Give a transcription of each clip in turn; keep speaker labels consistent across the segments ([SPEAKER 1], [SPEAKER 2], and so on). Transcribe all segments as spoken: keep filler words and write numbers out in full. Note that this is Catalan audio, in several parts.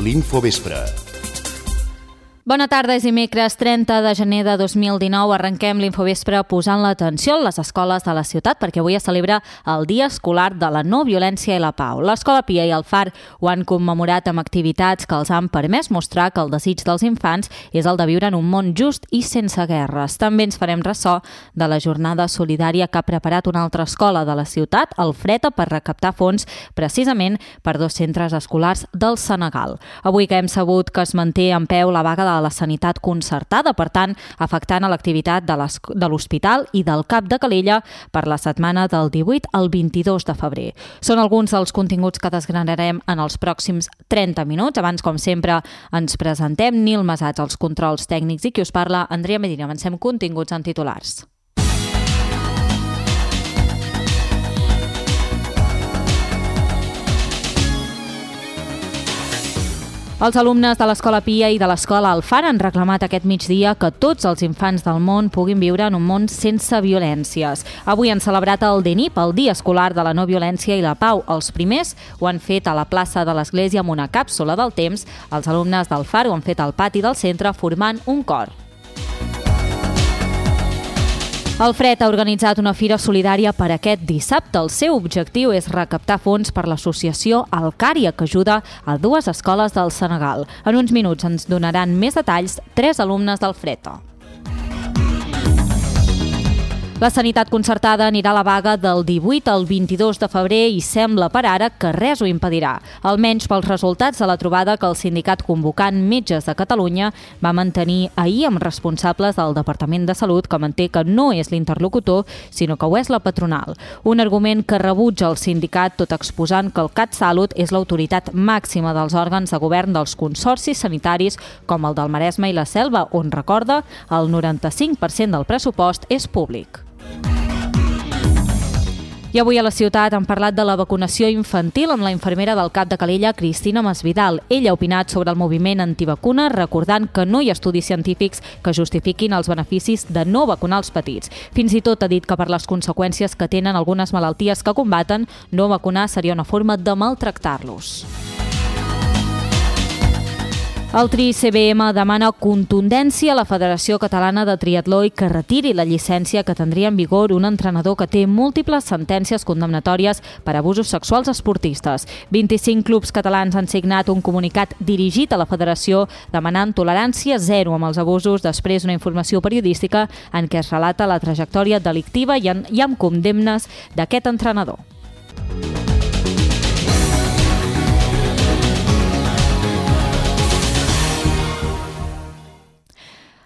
[SPEAKER 1] l'Infovespre.
[SPEAKER 2] Bona tarda, és dimecres trenta de gener de dos mil dinou. Arrenquem l'Infovespre posant l'atenció a les escoles de la ciutat perquè avui es celebra el Dia Escolar de la No Violència i la Pau. L'Escola Pia i el Far ho han commemorat amb activitats que els han permès mostrar que el desig dels infants és el de viure en un món just i sense guerres. També ens farem ressò de la jornada solidària que ha preparat una altra escola de la ciutat, el Freta, per recaptar fons precisament per dos centres escolars del Senegal. Avui que hem sabut que es manté en peu la vaga de la sanitat concertada, per tant, afectant a l'activitat de l'Hospital i del Cap de Calella per la setmana del divuit al vint-i-dos de febrer. Són alguns dels continguts que desgranarem en els pròxims trenta minuts. Abans, com sempre, ens presentem. Nil Masats, als controls tècnics, i qui us parla, Andrea Medina. Avancem continguts en titulars. Els alumnes de l'Escola Pia i de l'Escola El Far han reclamat aquest migdia que tots els infants del món puguin viure en un món sense violències. Avui han celebrat el D N I P, el Dia Escolar de la No Violència i la Pau. Els primers ho han fet a la plaça de l'Església amb una càpsula del temps. Els alumnes del Far ho han fet al pati del centre formant un cor. El Fred ha organitzat una fira solidària per aquest dissabte. El seu objectiu és recaptar fons per l'associació Alcària, que ajuda a dues escoles del Senegal. En uns minuts ens donaran més detalls tres alumnes del Freta. La sanitat concertada anirà a la vaga del divuit al vint-i-dos de febrer i sembla per ara que res ho impedirà, almenys pels resultats de la trobada que el sindicat convocant Metges de Catalunya va mantenir ahir amb responsables del Departament de Salut, que manté que no és l'interlocutor, sinó que ho és la patronal. Un argument que rebutja el sindicat, tot exposant que el CatSalut és l'autoritat màxima dels òrgans de govern dels consorcis sanitaris com el del Maresme i la Selva, on, recorda, el noranta-cinc per cent del pressupost és públic. I avui a la ciutat han parlat de la vacunació infantil amb la infermera del Cap de Calella, Cristina Masvidal. Ella ha opinat sobre el moviment antivacuna, recordant que no hi ha estudis científics que justifiquin els beneficis de no vacunar els petits. Fins i tot ha dit que per les conseqüències que tenen algunes malalties que combaten, no vacunar seria una forma de maltractar-los. El Tri C B M demana contundència a la Federació Catalana de Triatló i que retiri la llicència que tindria en vigor un entrenador que té múltiples sentències condemnatòries per abusos sexuals esportistes. vint-i-cinc clubs catalans han signat un comunicat dirigit a la Federació demanant tolerància zero amb els abusos després d'una informació periodística en què es relata la trajectòria delictiva i amb condemnes d'aquest entrenador.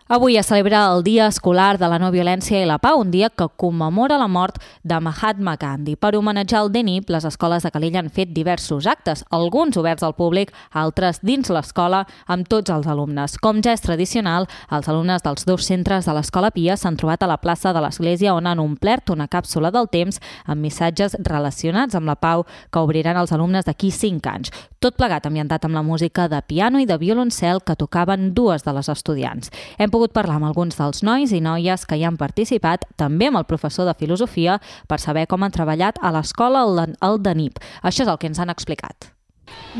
[SPEAKER 2] Avui es celebra el Dia Escolar de la No Violència i la Pau, un dia que commemora la mort de Mahatma Gandhi. Per homenatjar el D N I P, les escoles de Calella han fet diversos actes, alguns oberts al públic, altres dins l'escola amb tots els alumnes. Com ja és tradicional, els alumnes dels dos centres de l'Escola Pia s'han trobat a la plaça de l'Església, on han omplert una càpsula del temps amb missatges relacionats amb la pau que obriran els alumnes d'aquí cinc anys. Tot plegat ambientat amb la música de piano i de violoncel que tocaven dues de les estudiants. Hem pogut parlar amb alguns dels nois i noies que hi han participat, també amb el professor de filosofia, per saber com han treballat a l'escola al D N I P. Això és el que ens han explicat.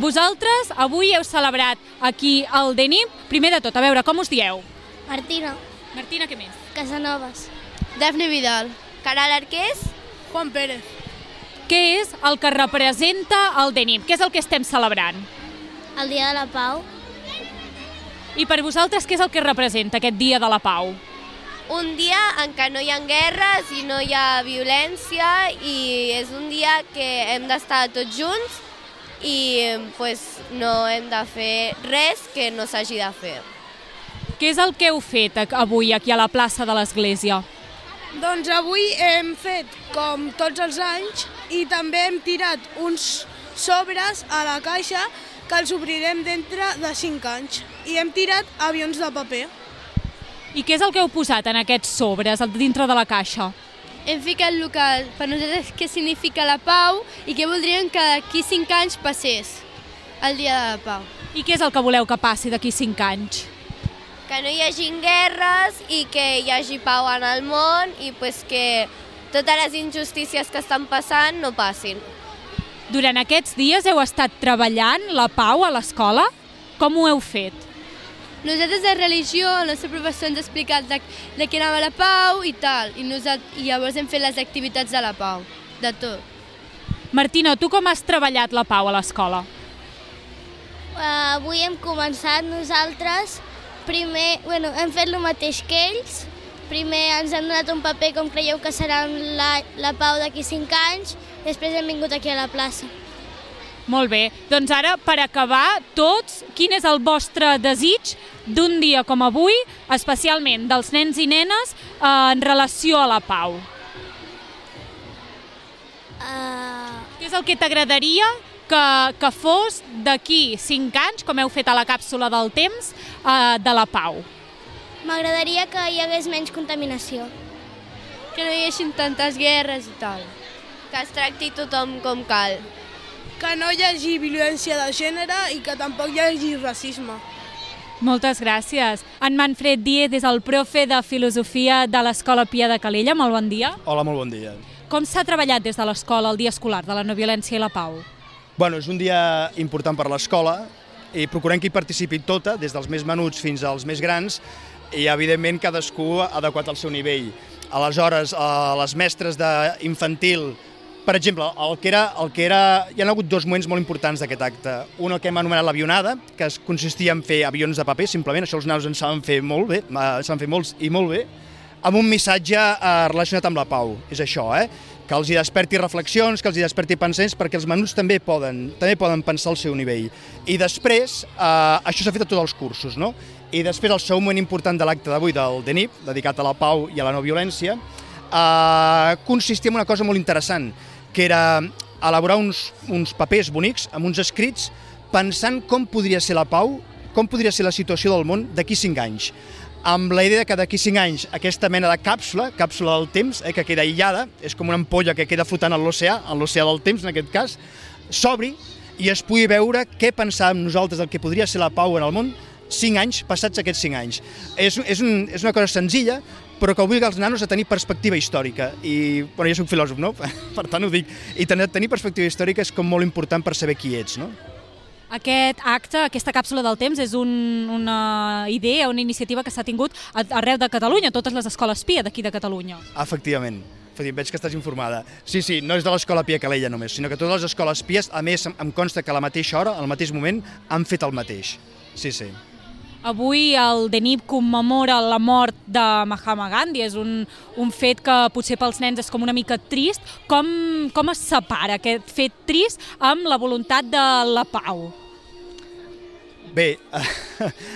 [SPEAKER 3] Vosaltres avui heu celebrat aquí al D N I P. Primer de tot, a veure, com us dieu?
[SPEAKER 4] Martina.
[SPEAKER 3] Martina, què més?
[SPEAKER 4] Casanovas.
[SPEAKER 5] Dafne Vidal. Caral Arqués.
[SPEAKER 4] Juan Pérez.
[SPEAKER 3] Què és el que representa el D N I P? Què és el que estem celebrant?
[SPEAKER 4] El Dia de la Pau.
[SPEAKER 3] I per vosaltres què és el que representa aquest Dia de la Pau?
[SPEAKER 5] Un dia en què no hi ha guerres i no hi ha violència i és un dia que hem d'estar tots junts i pues, no hem de fer res que no s'hagi de fer.
[SPEAKER 3] Què és el que heu fet avui aquí a la plaça de l'Església?
[SPEAKER 6] Doncs avui hem fet com tots els anys i també hem tirat uns sobres a la caixa que els obrirem dintre de cinc anys. I hem tirat avions de paper.
[SPEAKER 3] I què és el que heu posat en aquests sobres dintre de la caixa?
[SPEAKER 5] Hem ficat el que per nosaltres què significa la pau i què voldríem que d'aquí cinc anys passés, el Dia de la Pau.
[SPEAKER 3] I què és el que voleu que passi d'aquí cinc anys?
[SPEAKER 5] Que no hi hagi guerres i que hi hagi pau en el món i pues, que totes les injustícies que estan passant no passin.
[SPEAKER 3] Durant aquests dies heu estat treballant la pau a l'escola? Com ho heu fet?
[SPEAKER 5] Nosaltres de religió, el nostre professor ens ha explicat de, de què anava la pau i tal, i, nosaltres, i llavors hem fet les activitats de la pau, de tot.
[SPEAKER 3] Martina, tu com has treballat la pau a l'escola?
[SPEAKER 4] Uh, avui hem començat nosaltres, primer, bueno, hem fet el mateix que ells, primer ens han donat un paper com creieu que serà la, la pau d'aquí cinc anys, després hem vingut aquí a la plaça.
[SPEAKER 3] Molt bé, doncs ara, per acabar, tots, quin és el vostre desig d'un dia com avui, especialment dels nens i nenes, eh, en relació a la pau?
[SPEAKER 4] Uh,
[SPEAKER 3] Què és el que t'agradaria que, que fos d'aquí cinc anys, com heu fet a la càpsula del temps, eh, de la pau?
[SPEAKER 4] M'agradaria que hi hagués menys contaminació.
[SPEAKER 5] Que no hi haguessin tantes guerres i tal. Que es tracti tothom com cal.
[SPEAKER 6] Que no hi hagi violència de gènere i que tampoc hi hagi racisme.
[SPEAKER 3] Moltes gràcies. En Manfred Díez és el profe de Filosofia de l'Escola Pia de Calella. Molt bon dia.
[SPEAKER 1] Hola, molt bon dia.
[SPEAKER 3] Com s'ha treballat des de l'escola el dia escolar de la no violència i la pau?
[SPEAKER 1] Bueno, és un dia important per l'escola i procurem que hi participi tota, des dels més menuts fins als més grans, i evidentment cadascú adequat al seu nivell. Aleshores, les mestres d'infantil, per exemple, el que era, el que era, hi ha hagut dos moments molt importants d'aquest acte. Un, el que hem anomenat l'avionada, que consistia en fer avions de paper, simplement, això els nanos en saben fer molt bé, saben fer molts i molt bé, amb un missatge eh, relacionat amb la pau. És això, eh? Que els hi desperti reflexions, que els hi desperti pensaments, perquè els menuts també poden, també poden pensar al seu nivell. I després, eh, això s'ha fet a tots els cursos, no? I després, el segon moment important de l'acte d'avui del D N I P, dedicat a la pau i a la no violència, eh, consistia en una cosa molt interessant, que era elaborar uns, uns papers bonics amb uns escrits pensant com podria ser la pau, com podria ser la situació del món d'aquí cinc anys. Amb la idea que d'aquí cinc anys aquesta mena de càpsula, càpsula del temps, eh, que queda aïllada, és com una ampolla que queda flotant en l'oceà, en l'oceà del temps en aquest cas, s'obri i es pugui veure què pensàvem nosaltres del que podria ser la pau en el món cinc anys, passats aquests cinc anys. És, és, un, és una cosa senzilla, però que obliga els nanos a tenir perspectiva històrica. I, bueno, jo soc filòsof, no? Per tant ho dic. I tenir, tenir perspectiva històrica és com molt important per saber qui ets, no?
[SPEAKER 3] Aquest acte, aquesta càpsula del temps, és un, una idea, una iniciativa que s'ha tingut arreu de Catalunya, totes les escoles Pia d'aquí de Catalunya.
[SPEAKER 1] Efectivament. Veig que estàs informada. Sí, sí, no és de l'Escola Pia Calella només, sinó que totes les escoles Pies, a més, em consta que a la mateixa hora, al mateix moment, han fet el mateix. Sí, sí.
[SPEAKER 3] Avui el D N I P commemora la mort de Mahatma Gandhi, és un, un fet que potser pels nens és com una mica trist. Com, com es separa aquest fet trist amb la voluntat de la pau?
[SPEAKER 1] Bé,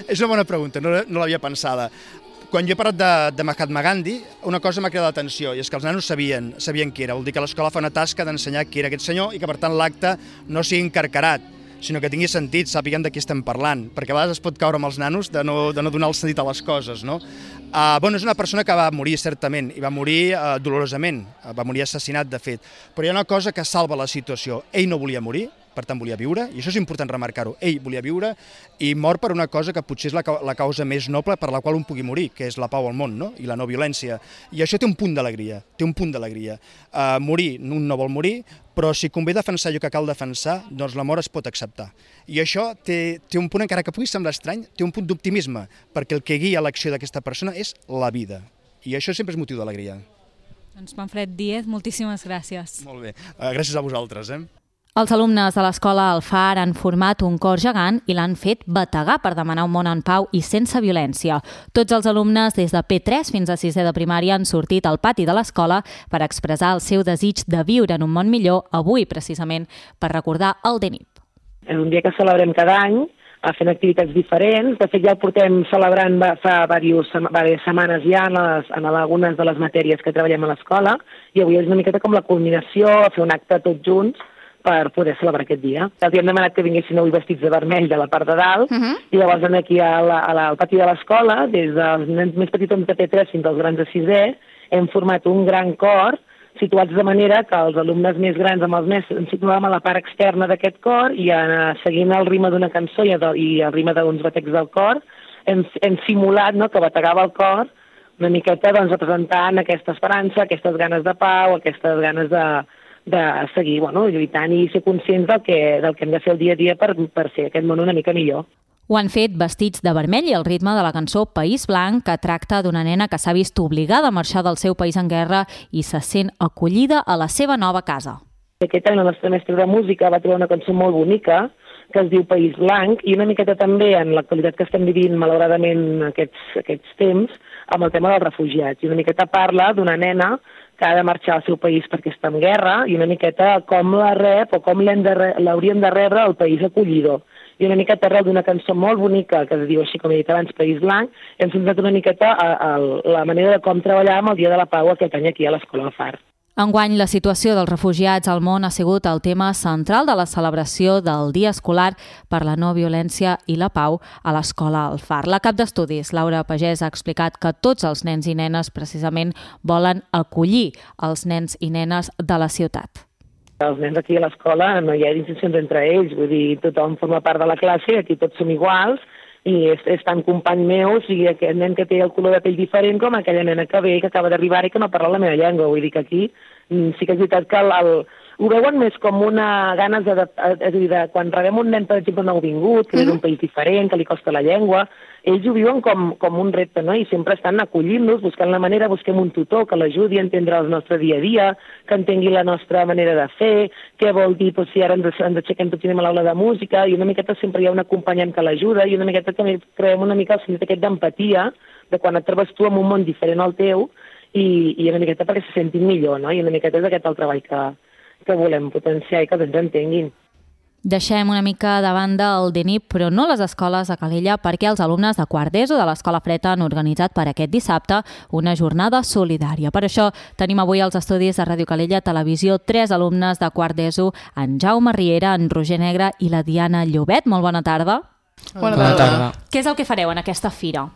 [SPEAKER 1] és una bona pregunta, no, no l'havia pensada. Quan jo he parlat de, de Mahatma Gandhi, una cosa m'ha cridat l'atenció, i és que els nanos sabien, sabien qui era. Vol dir que l'escola fa una tasca d'ensenyar qui era aquest senyor i que, per tant, l'acte no sigui encarcarat, sinó que tingui sentit, sàpiguen de qui estem parlant, perquè a vegades es pot caure amb els nanos de no, de no donar el sentit a les coses, no? Uh, bueno, és una persona que va morir, certament, i va morir uh, dolorosament, uh, va morir assassinat, de fet, però hi ha una cosa que salva la situació. Ell no volia morir, per tant volia viure, i això és important remarcar-ho, ell volia viure i mor per una cosa que potser és la, la causa més noble per la qual un pugui morir, que és la pau al món, no? I la no violència. I això té un punt d'alegria, té un punt d'alegria. Uh, morir, un no vol morir, però si convé defensar allò que cal defensar, doncs la mort es pot acceptar. I això té, té un punt, encara que pugui semblar estrany, té un punt d'optimisme, perquè el que guia l'acció d'aquesta persona és la vida. I això sempre és motiu d'alegria.
[SPEAKER 3] Doncs Manfred Díez, moltíssimes gràcies.
[SPEAKER 1] Molt bé, uh, gràcies a vosaltres, eh?
[SPEAKER 2] Els alumnes de l'escola Alfar han format un cor gegant i l'han fet bategar per demanar un món en pau i sense violència. Tots els alumnes, des de P tres fins a sisè de primària, han sortit al pati de l'escola per expressar el seu desig de viure en un món millor, avui precisament per recordar el D N I P.
[SPEAKER 7] És un dia que celebrem cada any, fent activitats diferents. De fet, ja el portem celebrant fa diverses setmanes ja en, les, en algunes de les matèries que treballem a l'escola, i avui és una miqueta com la culminació, fer un acte tots junts per poder celebrar aquest dia. Els hem demanat que vinguessin avui vestits de vermell de la part de dalt, uh -huh. i llavors aquí a la, a la, al pati de l'escola, des dels nens més petits de P tres fins als grans de sisè, hem format un gran cor, situats de manera que els alumnes més grans amb els més ens situàvem a la part externa d'aquest cor i eh, seguint el ritme d'una cançó i, i el ritme d'uns batecs del cor, hem, hem simulat, no?, que bategava el cor una miqueta, doncs, representant aquesta esperança, aquestes ganes de pau, aquestes ganes de de seguir, bueno, lluitant i ser conscients del que, del que hem de fer el dia a dia per, per fer aquest món una mica millor.
[SPEAKER 2] Ho han fet vestits de vermell i al ritme de la cançó País Blanc, que tracta d'una nena que s'ha vist obligada a marxar del seu país en guerra i se sent acollida a la seva nova casa.
[SPEAKER 7] Aquest any la nostra mestra de música va trobar una cançó molt bonica que es diu País Blanc i una miqueta també en l'actualitat que estem vivint malauradament aquests, aquests temps amb el tema dels refugiats. I una miqueta parla d'una nena que ha de marxar al seu país perquè està en guerra i una miqueta com la rep o com l'haurien de rebre el país acollidor. I una miqueta arrel d'una cançó molt bonica que es diu així com he dit abans, País Blanc, hem centrat una miqueta a, a la manera de com treballar amb el Dia de la Pau aquest any aquí a l'Escola Alfar.
[SPEAKER 2] Enguany, la situació dels refugiats al món ha sigut el tema central de la celebració del Dia Escolar per la No Violència i la Pau a l'Escola Alfar. La cap d'estudis, Laura Pagès, ha explicat que tots els nens i nenes precisament volen acollir els nens i nenes de la ciutat.
[SPEAKER 7] Els nens aquí a l'escola no hi ha distincions entre ells, vull dir, tothom forma part de la classe, aquí tots som iguals, i és, és tant company meu, o sigui, aquest nen que té el color de pell diferent com aquella nena que ve, que acaba d'arribar i que no parla la meva llengua, vull dir que aquí sí que és veritat que el, el, ho veuen més com una ganes de, és a dir, de, quan rebem un nen, per exemple, nouvingut, que és un país diferent, que li costa la llengua, ells ho viuen com, com un repte, no? I sempre estan acollint-nos, buscant la manera, busquem un tutor que l'ajudi a entendre el nostre dia a dia, que entengui la nostra manera de fer, què vol dir doncs, si ara ens, ens aixequem tots i anem a l'aula de música, i una miqueta sempre hi ha un acompanyant que l'ajuda, i una miqueta també creem una mica el sentit aquest d'empatia, de quan et trobes tu en un món diferent al teu, i, i una miqueta perquè se sentin millor, no? I una miqueta és aquest el treball que, que volem potenciar i que ens entenguin.
[SPEAKER 2] Deixem una mica de banda el D N I P, però no les escoles a Calella, perquè els alumnes de quart d'ESO de l'Escola Freta han organitzat per aquest dissabte una jornada solidària. Per això tenim avui als estudis de Ràdio Calella Televisió tres alumnes de quart d'ESO, en Jaume Riera, en Roger Negre i la Diana Llobet. Molt bona tarda.
[SPEAKER 8] Bona tarda. Bona tarda.
[SPEAKER 2] Què és el que fareu en aquesta fira?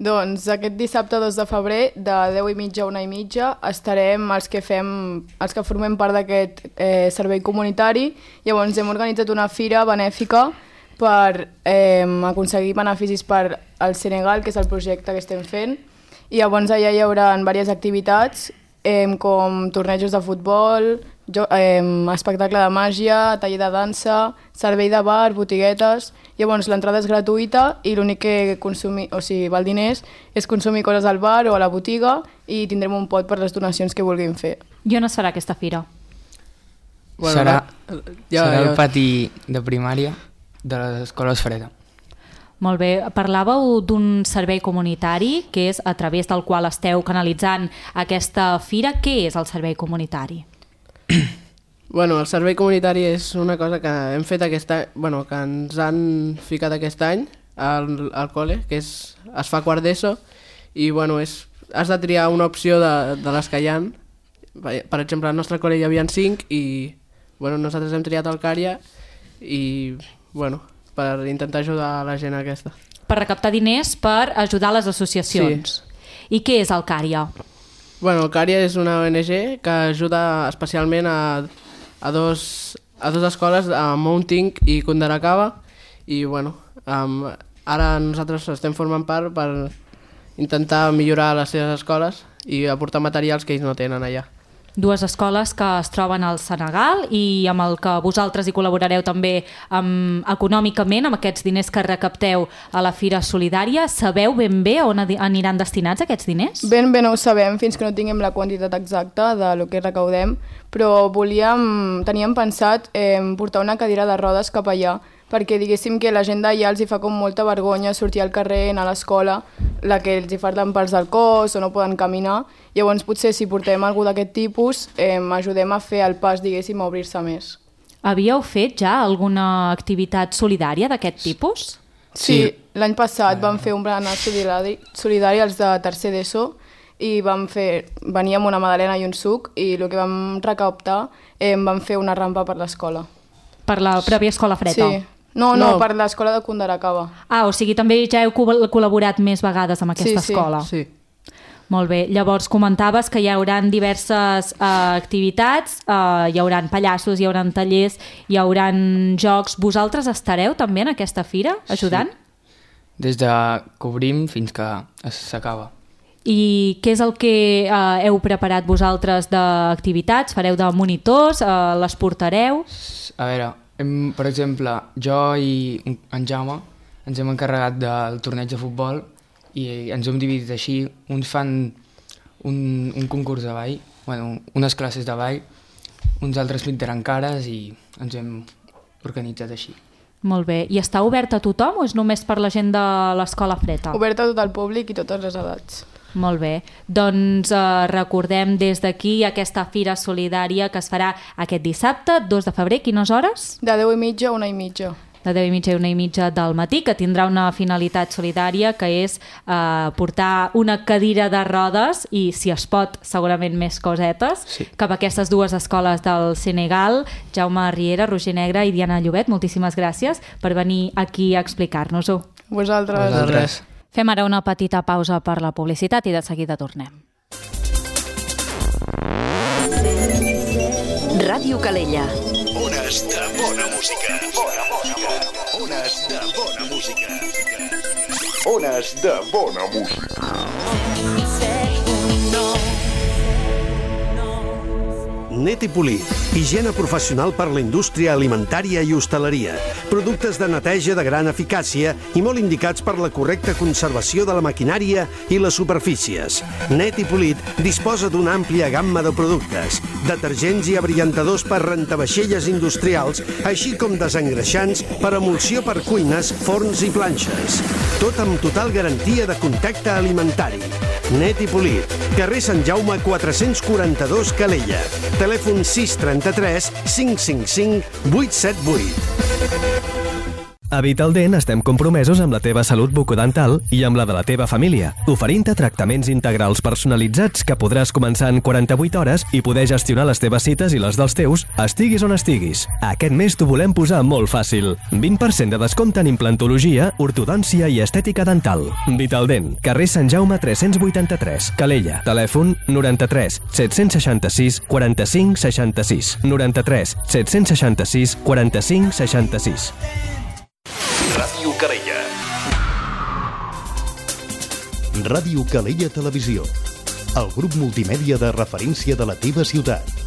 [SPEAKER 8] Doncs aquest dissabte dos de febrer, de deu i mitja a una i mitja, estarem els que fem, els que formem part d'aquest eh, servei comunitari. Llavors hem organitzat una fira benèfica per eh, aconseguir beneficis per al Senegal, que és el projecte que estem fent. I llavors allà hi haurà diverses activitats, eh, com tornejos de futbol, jo, eh, espectacle de màgia, taller de dansa, servei de bar, botiguetes. Llavors l'entrada és gratuïta i l'únic que consumir, o sigui, val diners és consumir coses al bar o a la botiga i tindrem un pot per les donacions que vulguin fer.
[SPEAKER 2] I on es farà aquesta fira?
[SPEAKER 9] Bueno, serà ja, serà ja. el pati de primària de l'Escola Freda.
[SPEAKER 2] Molt bé. Parlàveu d'un servei comunitari que és a través del qual esteu canalitzant aquesta fira. Què és el servei comunitari?
[SPEAKER 10] Bueno, el servei comunitari és una cosa que hem fet aquest any, bueno, que ens han ficat aquest any al, al col·le, que és, es fa quart d'ESO, i bueno, és, has de triar una opció de, de les que hi ha. Per exemple, al nostre col·le hi havia cinc i bueno, nosaltres hem triat el Cària i bueno, per intentar ajudar a la gent aquesta.
[SPEAKER 2] Per recaptar diners per ajudar les associacions. Sí. I què és el Cària?
[SPEAKER 10] Bueno, el Cària és una O N G que ajuda especialment a, a, dos, a dos escoles, a Mounting i Kundarakava, i bueno, um, ara nosaltres estem formant part per intentar millorar les seves escoles i aportar materials que ells no tenen allà.
[SPEAKER 2] Dues escoles que es troben al Senegal i amb el que vosaltres hi col·laborareu també um, econòmicament, amb aquests diners que recapteu a la Fira Solidària. Sabeu ben bé on aniran destinats aquests diners?
[SPEAKER 8] Ben bé no ho sabem fins que no tinguem la quantitat exacta de lo que recaudem, però volíem, teníem pensat eh, portar una cadira de rodes cap allà, perquè diguéssim que la gent d'allà els hi fa com molta vergonya sortir al carrer, anar a l'escola, la que els hi falten parts del cos o no poden caminar. Llavors potser si portem algú d'aquest tipus eh, ajudem a fer el pas, diguéssim, a obrir-se més.
[SPEAKER 2] Havíeu fet ja alguna activitat solidària d'aquest tipus?
[SPEAKER 8] Sí, sí. L'any passat vam fer un berenar solidari, solidari als de tercer d'ESO i vam fer, veníem una magdalena i un suc i el que vam recaptar eh, vam fer una rampa per l'escola.
[SPEAKER 2] Per la pròpia escola Freta?
[SPEAKER 8] Sí. No, no, no, per l'escola de Kundarakava.
[SPEAKER 2] Ah, o sigui, també ja heu col·laborat més vegades amb aquesta
[SPEAKER 8] sí,
[SPEAKER 2] escola.
[SPEAKER 8] Sí, sí.
[SPEAKER 2] Molt bé. Llavors comentaves que hi haurà diverses uh, activitats, uh, hi haurà pallassos, hi haurà tallers, hi haurà jocs. Vosaltres estareu també en aquesta fira ajudant?
[SPEAKER 9] Sí. Des de que obrim fins que s'acaba.
[SPEAKER 2] I què és el que uh, heu preparat vosaltres d'activitats? Fareu de monitors? Uh, les portareu?
[SPEAKER 9] A veure... Per exemple, jo i en Jaume ens hem encarregat del torneig de futbol i ens hem dividit així. Uns fan un, un concurs de ball, bueno, unes classes de ball, uns altres pintaran cares i ens hem organitzat així.
[SPEAKER 2] Molt bé. I està obert a tothom o és només per la gent de l'Escola Freta?
[SPEAKER 8] Obert a tot el públic i totes les edats.
[SPEAKER 2] Molt bé. Doncs eh, recordem des d'aquí aquesta fira solidària que es farà aquest dissabte, dos de febrer, quines hores?
[SPEAKER 8] De deu i mitja a una i mitja.
[SPEAKER 2] De deu i mitja a una i mitja del matí, que tindrà una finalitat solidària, que és eh, portar una cadira de rodes i, si es pot, segurament més cosetes, sí, cap a aquestes dues escoles del Senegal. Jaume Riera, Roger Negre i Diana Llobet, moltíssimes gràcies per venir aquí a explicar-nos-ho.
[SPEAKER 8] Vosaltres.
[SPEAKER 9] Vosaltres.
[SPEAKER 2] Fem ara una petita pausa per la publicitat i de seguida tornem.
[SPEAKER 11] Ràdio Calella.
[SPEAKER 12] Ones de bona música. Bona música. Ones de bona música. Ones de bona música.
[SPEAKER 13] Netipolit, higiene professional per la indústria alimentària i hostaleria. Productes de neteja de gran eficàcia i molt indicats per la correcta conservació de la maquinària i les superfícies. Netipolit disposa d'una àmplia gamma de productes, detergents i abrillantadors per rentavaixelles industrials, així com desengreixants per emulsió per cuines, forns i planxes. Tot amb total garantia de contacte alimentari. Netipolit, carrer Sant Jaume quatre-cents quaranta-dos, Calella. Telèfon sis trenta-tres cinc cinc cinc vuit set vuit.
[SPEAKER 14] A Vitaldent estem compromesos amb la teva salut bucodental i amb la de la teva família, oferint-te tractaments integrals personalitzats que podràs començar en quaranta-vuit hores i poder gestionar les teves cites i les dels teus, estiguis on estiguis. Aquest mes t'ho volem posar molt fàcil. vint per cent de descompte en implantologia, ortodòncia i estètica dental. Vitaldent, carrer Sant Jaume tres-cents vuitanta-tres, Calella. Telèfon noranta-tres set-cents seixanta-sis quaranta-cinc seixanta-sis. noranta-tres set-cents seixanta-sis quaranta-cinc seixanta-sis.
[SPEAKER 12] Ràdio Calella. Ràdio Calella Televisió. El grup multimèdia de referència de la teva ciutat.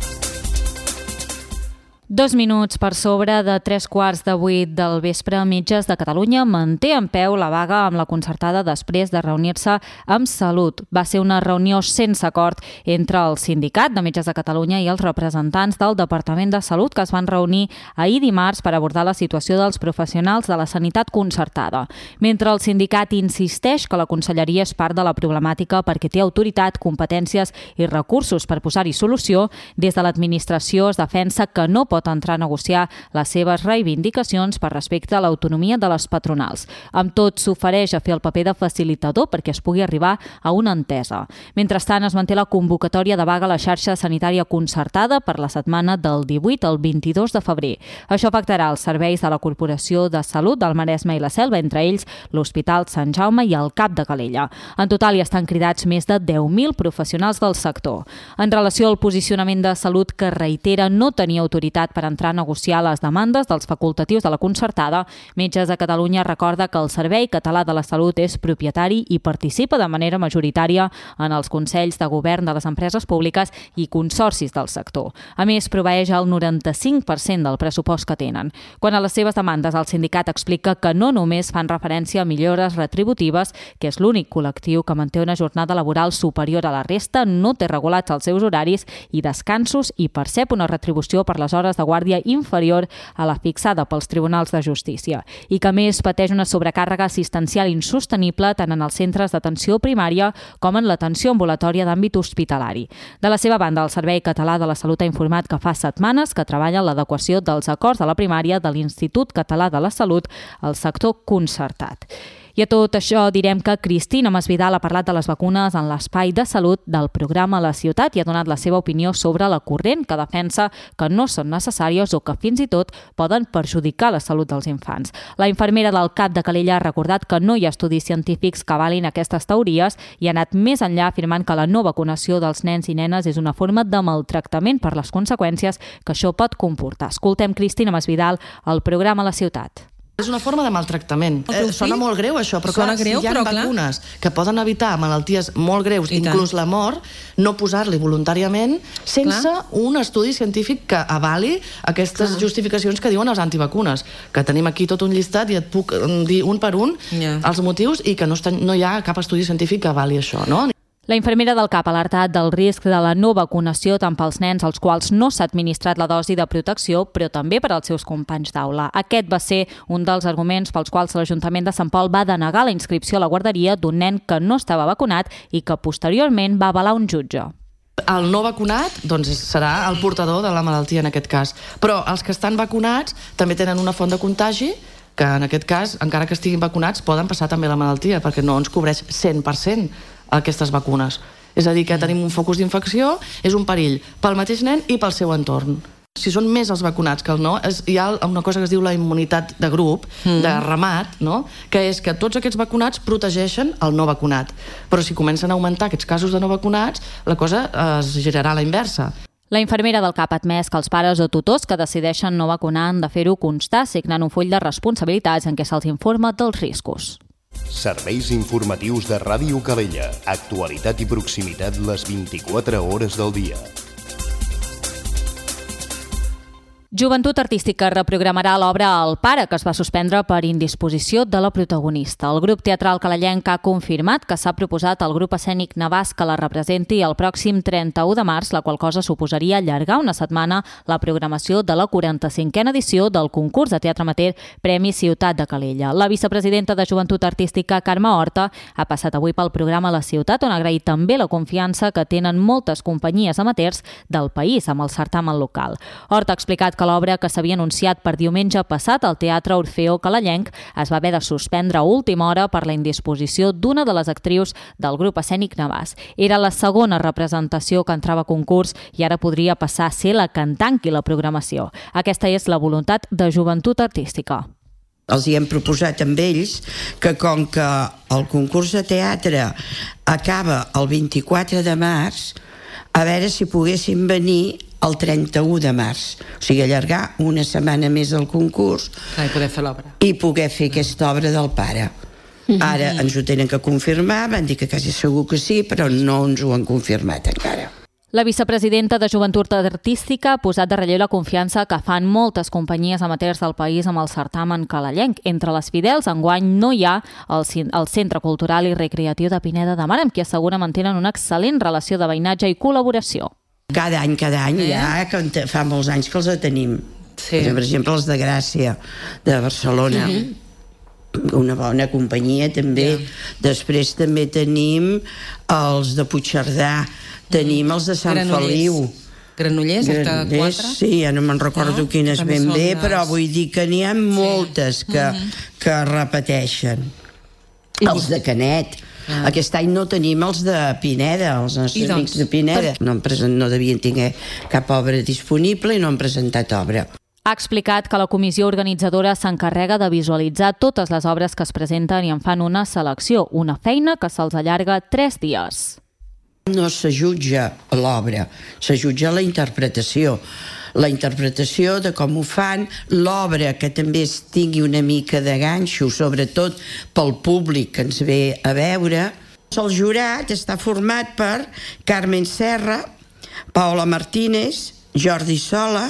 [SPEAKER 2] Dos minuts per sobre de tres quarts de vuit del vespre, Metges de Catalunya manté en peu la vaga amb la concertada després de reunir-se amb Salut. Va ser una reunió sense acord entre el Sindicat de Metges de Catalunya i els representants del Departament de Salut, que es van reunir ahir dimarts per abordar la situació dels professionals de la sanitat concertada. Mentre el sindicat insisteix que la conselleria és part de la problemàtica perquè té autoritat, competències i recursos per posar-hi solució, des de l'administració es defensa que no pot entrar a negociar les seves reivindicacions per respecte a l'autonomia de les patronals. Amb tot, s'ofereix a fer el paper de facilitador perquè es pugui arribar a una entesa. Mentrestant, es manté la convocatòria de vaga a la xarxa sanitària concertada per la setmana del divuit al vint-i-dos de febrer. Això afectarà els serveis de la Corporació de Salut del Maresme i la Selva, entre ells l'Hospital Sant Jaume i el C A P de Calella. En total, hi estan cridats més de deu mil professionals del sector. En relació al posicionament de Salut, que reitera no tenir autoritat per entrar a negociar les demandes dels facultatius de la concertada, Metges de Catalunya recorda que el Servei Català de la Salut és propietari i participa de manera majoritària en els consells de govern de les empreses públiques i consorcis del sector. A més, proveeix el noranta-cinc per cent del pressupost que tenen. Quant a les seves demandes, el sindicat explica que no només fan referència a millores retributives, que és l'únic col·lectiu que manté una jornada laboral superior a la resta, no té regulats els seus horaris i descansos i percep una retribució per les hores de guàrdia inferior a la fixada pels tribunals de justícia i que, a més, pateix una sobrecàrrega assistencial insostenible tant en els centres d'atenció primària com en l'atenció ambulatòria d'àmbit hospitalari. De la seva banda, el Servei Català de la Salut ha informat que fa setmanes que treballa en l'adequació dels acords de la primària de l'Institut Català de la Salut al sector concertat. I a tot això direm que Cristina Masvidal ha parlat de les vacunes en l'espai de salut del programa La Ciutat i ha donat la seva opinió sobre la corrent, que defensa que no són necessàries o que fins i tot poden perjudicar la salut dels infants. La infermera del C A P de Calella ha recordat que no hi ha estudis científics que avalin aquestes teories i ha anat més enllà afirmant que la no vacunació dels nens i nenes és una forma de maltractament per les conseqüències que això pot comportar. Escoltem Cristina Masvidal al programa La Ciutat.
[SPEAKER 11] És una forma de maltractament. Eh, sona molt greu això, però clar,
[SPEAKER 15] greu,
[SPEAKER 11] si hi ha
[SPEAKER 15] però,
[SPEAKER 11] vacunes clar. que poden evitar malalties molt greus, I inclús tant. la mort, no posar-li voluntàriament sense clar. un estudi científic que avali aquestes clar. justificacions que diuen els antivacunes, que tenim aquí tot un llistat i et puc dir un per un yeah. els motius i que no, està, no hi ha cap estudi científic que avali això, no?
[SPEAKER 2] La infermera del C A P ha alertat del risc de la no vacunació tant pels nens als quals no s'ha administrat la dosi de protecció, però també per als seus companys d'aula. Aquest va ser un dels arguments pels quals l'Ajuntament de Sant Pol va denegar la inscripció a la guarderia d'un nen que no estava vacunat i que posteriorment va avalar un jutge.
[SPEAKER 11] El no vacunat doncs, serà el portador de la malaltia en aquest cas, però els que estan vacunats també tenen una font de contagi que en aquest cas, encara que estiguin vacunats, poden passar també la malaltia, perquè no ens cobreix cent per cent aquestes vacunes. És a dir, que tenim un focus d'infecció, és un perill pel mateix nen i pel seu entorn. Si són més els vacunats que el no, és, hi ha una cosa que es diu la immunitat de grup, mm. de ramat, no? Que és que tots aquests vacunats protegeixen el no vacunat. Però si comencen a augmentar aquests casos de no vacunats, la cosa es girarà a la inversa.
[SPEAKER 2] La infermera del C A P ha admès que els pares o tutors que decideixen no vacunar han de fer-ho constar signant un full de responsabilitats en què se'ls informa dels riscos.
[SPEAKER 12] Serveis informatius de Ràdio Calella. Actualitat i proximitat les vint-i-quatre hores del dia.
[SPEAKER 2] Joventut Artística reprogramarà l'obra El pare, que es va suspendre per indisposició de la protagonista. El grup teatral calellenc ha confirmat que s'ha proposat al grup escènic Navàs que la representi el pròxim trenta-u de març, la qual cosa suposaria allargar una setmana la programació de la quaranta-cinquena edició del concurs de teatre amateur Premi Ciutat de Calella. La vicepresidenta de Joventut Artística, Carme Horta, ha passat avui pel programa La Ciutat, on ha agraït també la confiança que tenen moltes companyies amateurs del país amb el certamen local. Horta ha explicat que l'obra que s'havia anunciat per diumenge passat al Teatre Orfeó Calellenc es va haver de suspendre a última hora per la indisposició d'una de les actrius del grup escènic Navàs. Era la segona representació que entrava a concurs i ara podria passar a ser la que en tanqui la programació. Aquesta és la voluntat de Joventut Artística.
[SPEAKER 16] Els hi hem proposat amb ells que com que el concurs de teatre acaba el vint-i-quatre de març, a veure si poguessin venir el trenta-u de març, o sigui, allargar una setmana més el concurs
[SPEAKER 15] i poder fer l'obra.
[SPEAKER 16] I poder fer aquesta obra del pare. Ara ens ho tenen que confirmar, van dir que quasi segur que sí, però no ens ho han confirmat encara.
[SPEAKER 2] La vicepresidenta de Joventut Artística ha posat de relleu la confiança que fan moltes companyies amateurs del país amb el certamen calellenc. Entre les fidels, enguany no hi ha el, el Centre Cultural i Recreatiu de Pineda de Mar, amb qui assegura mantenen una excel·lent relació de veïnatge i col·laboració.
[SPEAKER 16] Cada any, cada any, eh? ja que fa molts anys que els tenim. Sí. Per exemple, els de Gràcia, de Barcelona. Uh-huh. Una bona companyia, també. Yeah. Després també tenim els de Puigcerdà, tenim els de Sant
[SPEAKER 15] Granollers.
[SPEAKER 16] Feliu.
[SPEAKER 15] Granollers, hasta quatre?
[SPEAKER 16] Sí, ja no me'n recordo no? quines ben bé, les... però vull dir que n'hi ha moltes sí. que, uh-huh. que repeteixen. I els de Canet. Ah. Aquest any no tenim els de Pineda, els nostres doncs, amics de Pineda. Per... No, present, no devien tenir cap obra disponible i no han presentat obra.
[SPEAKER 2] Ha explicat que la comissió organitzadora s'encarrega de visualitzar totes les obres que es presenten i en fan una selecció, una feina que se'ls allarga tres dies.
[SPEAKER 16] No se jutja l'obra, se jutja la interpretació. La interpretació de com ho fan, l'obra que també es tingui una mica de ganxo, sobretot pel públic que ens ve a veure. El jurat està format per Carmen Serra, Paola Martínez, Jordi Sola,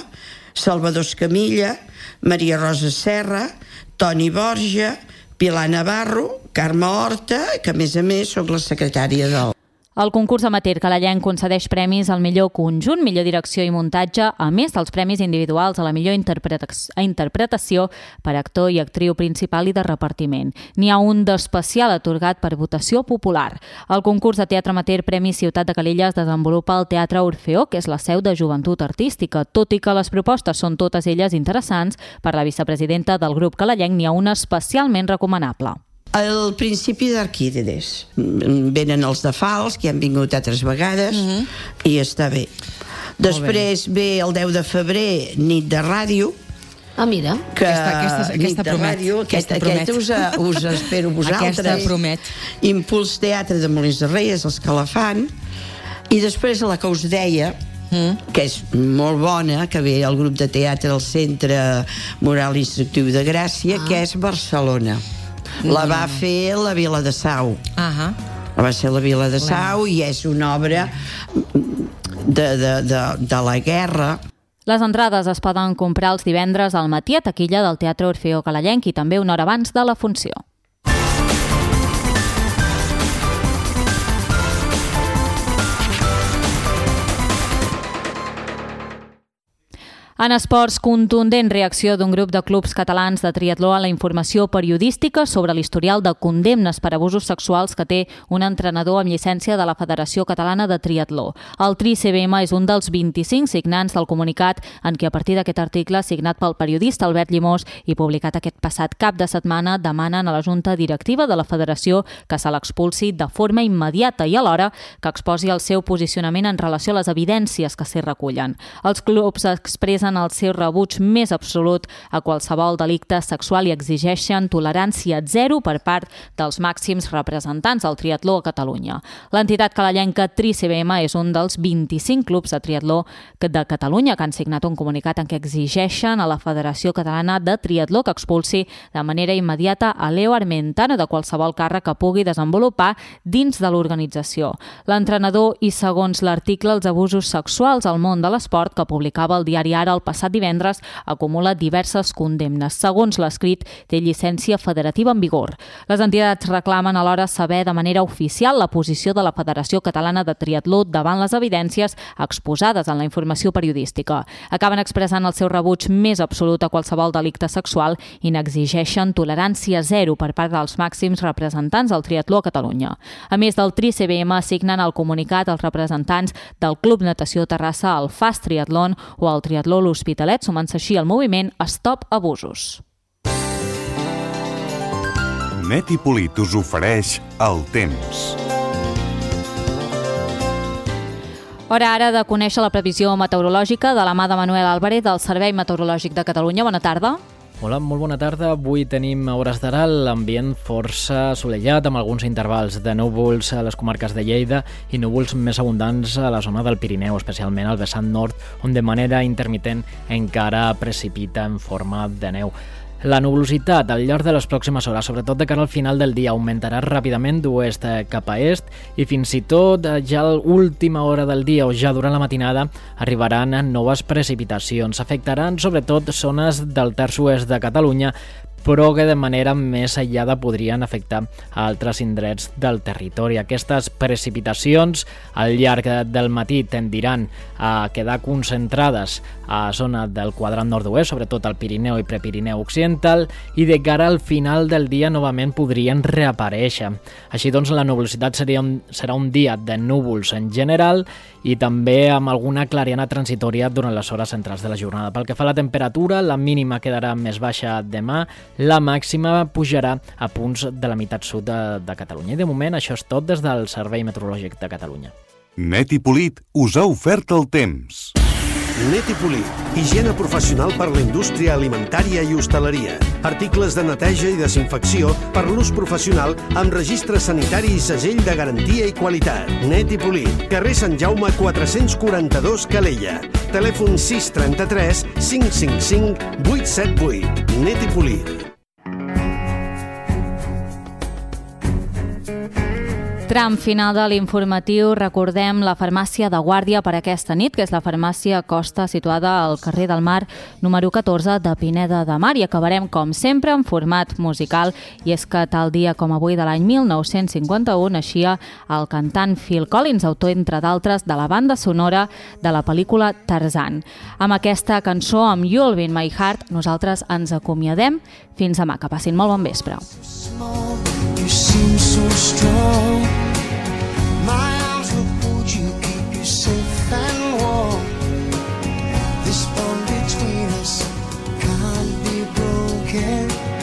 [SPEAKER 16] Salvador Escamilla, Maria Rosa Serra, Toni Borja, Pilar Navarro, Carme Horta, que a més a més soc la secretària del...
[SPEAKER 2] El concurs amateur calellenc concedeix premis al millor conjunt, millor direcció i muntatge, a més dels premis individuals a la millor interpretació per actor i actriu principal i de repartiment. N'hi ha un d'especial atorgat per votació popular. El concurs de teatre amateur Premi Ciutat de Calella es desenvolupa al Teatre Orfeó, que és la seu de Joventut Artística. Tot i que les propostes són totes elles interessants, per la vicepresidenta del grup calellenc n'hi ha una especialment recomanable.
[SPEAKER 16] El principi d'Arquímedes. Venen els de Fals, que han vingut altres vegades, uh-huh. i està bé. Després bé el deu de febrer, nit de ràdio.
[SPEAKER 17] Ah, mira.
[SPEAKER 16] Que
[SPEAKER 15] aquesta, aquesta, aquesta
[SPEAKER 16] nit de
[SPEAKER 15] promet.
[SPEAKER 16] ràdio, aquesta, aquesta us, us espero vosaltres.
[SPEAKER 15] Aquesta promet.
[SPEAKER 16] Impuls Teatre de Molins de Rei, és els que la fan. I després la que us deia, mm. que és molt bona, que ve el grup de teatre del Centre Moral Instructiu de Gràcia, ah. que és Barcelona. La va fer la Vila de Sau.
[SPEAKER 15] Ah.
[SPEAKER 16] Va ser la Vila de Sau i és una obra de, de, de, de la guerra.
[SPEAKER 2] Les entrades es poden comprar els divendres al matí a taquilla del Teatre Orfeó Calellenc i també una hora abans de la funció. En esports, contundent reacció d'un grup de clubs catalans de triatló a la informació periodística sobre l'historial de condemnes per abusos sexuals que té un entrenador amb llicència de la Federació Catalana de Triatló. El Tri C B M és un dels vint-i-cinc signants del comunicat en què a partir d'aquest article signat pel periodista Albert Llimós i publicat aquest passat cap de setmana demanen a la Junta Directiva de la Federació que se l'expulsi de forma immediata i alhora que exposi el seu posicionament en relació a les evidències que s'hi recullen. Els clubs expressen el seu rebuig més absolut a qualsevol delicte sexual i exigeixen tolerància zero per part dels màxims representants del triatló a Catalunya. L'entitat calellenca Tri C B M és un dels vint-i-cinc clubs de triatló de Catalunya que han signat un comunicat en què exigeixen a la Federació Catalana de Triatló que expulsi de manera immediata a Leo Armentano de qualsevol càrrec que pugui desenvolupar dins de l'organització. L'entrenador i, segons l'article, els abusos sexuals al món de l'esport que publicava el diari Ara el passat divendres acumula diverses condemnes. Segons l'escrit, té llicència federativa en vigor. Les entitats reclamen alhora saber de manera oficial la posició de la Federació Catalana de Triatló davant les evidències exposades en la informació periodística. Acaben expressant el seu rebuig més absolut a qualsevol delicte sexual i n'exigeixen tolerància zero per part dels màxims representants del triatló a Catalunya. A més del Tri C B M, signen el comunicat els representants del Club Natació Terrassa, el Fast Triatlon o el Triatló L'Hospitalet, sumant-se així al moviment Stop Abusos.
[SPEAKER 12] Net i Polit us ofereix el temps.
[SPEAKER 2] Hora ara de conèixer la previsió meteorològica de la mà de Manuel Álvarez del Servei Meteorològic de Catalunya. Bona tarda.
[SPEAKER 17] Hola, molt bona tarda. Avui tenim a hores d'ara l'ambient força assolellat amb alguns intervals de núvols a les comarques de Lleida i núvols més abundants a la zona del Pirineu, especialment al vessant nord, on de manera intermitent encara precipita en forma de neu. La nuvolositat al llarg de les pròximes hores, sobretot de cara al final del dia, augmentarà ràpidament d'oest cap a est i fins i tot ja a l'última hora del dia o ja durant la matinada arribaran noves precipitacions. Afectaran sobretot zones del terç oest de Catalunya, però que de manera més aïllada podrien afectar a altres indrets del territori. Aquestes precipitacions al llarg del matí tendiran a quedar concentrades a la zona del quadrant nord-oest, sobretot al Pirineu i Prepirineu occidental, i de cara al final del dia novament podrien reaparèixer. Així doncs, la nuvolositat seria un, serà un dia de núvols en general i també amb alguna clariana transitòria durant les hores centrals de la jornada. Pel que fa a la temperatura, la mínima quedarà més baixa demà, la màxima pujarà a punts de la meitat sud de, de Catalunya. I de moment això és tot des del Servei Meteorològic de Catalunya.
[SPEAKER 12] Net i Polit us ha ofert el temps.
[SPEAKER 13] Net i Polit, higiene professional per la indústria alimentària i hostaleria. Articles de neteja i desinfecció per l'ús professional amb registre sanitari i segell de garantia i qualitat. Net i Polit, carrer Sant Jaume quatre-cents quaranta-dos, Calella. Telèfon sis trenta-tres cinc cinc cinc vuit set vuit. Net i Polit.
[SPEAKER 2] Tram final de l'informatiu, recordem la farmàcia de guàrdia per aquesta nit, que és la farmàcia Costa, situada al carrer del Mar, número catorze de Pineda de Mar, i acabarem, com sempre, en format musical, i és que tal dia com avui de l'any mil nou-cents cinquanta-u naixia el cantant Phil Collins, autor, entre d'altres, de la banda sonora de la pel·lícula Tarzan. Amb aquesta cançó, amb You'll Be in My Heart, nosaltres ens acomiadem. Fins demà, que passin molt bon vespre.
[SPEAKER 18] You seem so strong. My arms will hold you, keep you safe and warm. This bond between us can't be broken.